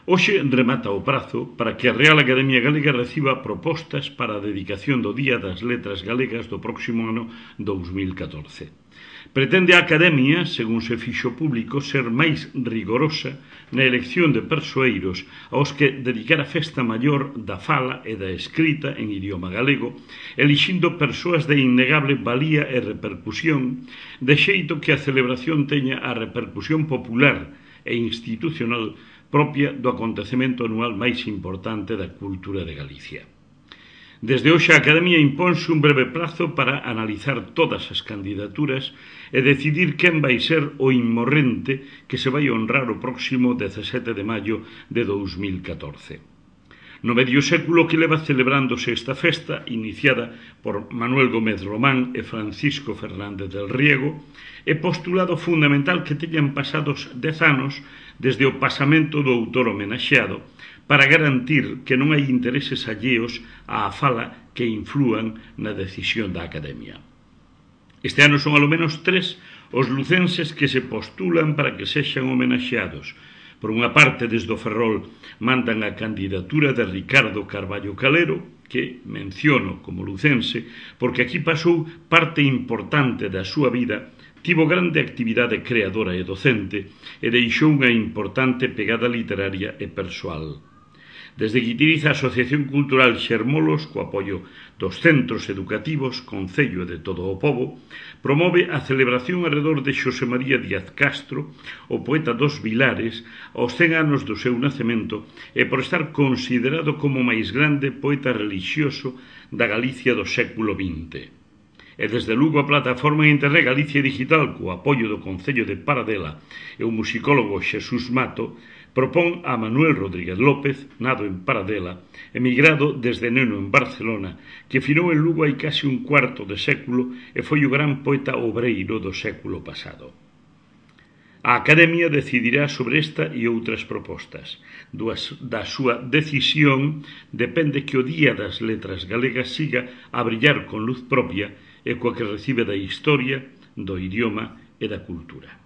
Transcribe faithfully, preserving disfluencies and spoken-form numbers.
Hoxe remata o prazo para que a Real Academia Galega reciba propostas para a dedicación do Día das Letras Galegas do próximo ano dous mil catorce. Pretende a Academia, según se fixo público, ser máis rigorosa na elección de persoeiros aos que dedicar a festa maior da fala e da escrita en idioma galego, elixindo persoas de innegable valía e repercusión, de xeito que a celebración teña a repercusión popular e institucional propia do acontecemento anual máis importante da cultura de Galicia. Desde hoxe a Academia imponse un breve prazo para analizar todas as candidaturas e decidir quen vai ser o inmorrente que se vai honrar o próximo dezasete de maio de dous mil catorce. No medio século que leva celebrándose esta festa, iniciada por Manuel Gómez Román e Francisco Fernández del Riego, é postulado fundamental que teñan pasados dez anos desde o pasamento do autor homenaxeado para garantir que non hai intereses alleos á fala que inflúan na decisión da Academia. Este ano son alo menos tres os lucenses que se postulan para que sexan homenaxeados. Por unha parte, desde o Ferrol mandan a candidatura de Ricardo Carballo Calero, que menciono como lucense, porque aquí pasou parte importante da súa vida, tivo grande actividade creadora e docente e deixou unha importante pegada literaria e persoal. Desde que utiliza a Asociación Cultural Xermolos, co apoio dos centros educativos, Concello e de todo o pobo, promove a celebración arredor de Xosé María Díaz Castro, o poeta dos Vilares, aos cen anos do seu nacemento e por estar considerado como o máis grande poeta relixioso da Galicia do século vinte. E desde Lugo a plataforma en Internet Galicia Digital, co apoio do Concello de Paradela e o musicólogo Xesús Mato, propón a Manuel Rodríguez López, nado en Paradela, emigrado desde neno en Barcelona, que finou en Lugo hai case un cuarto de século e foi o gran poeta obreiro do século pasado. A Academia decidirá sobre esta e outras propostas. Da súa decisión depende que o Día das Letras Galegas siga a brillar con luz propia e coa que recibe da historia, do idioma e da cultura.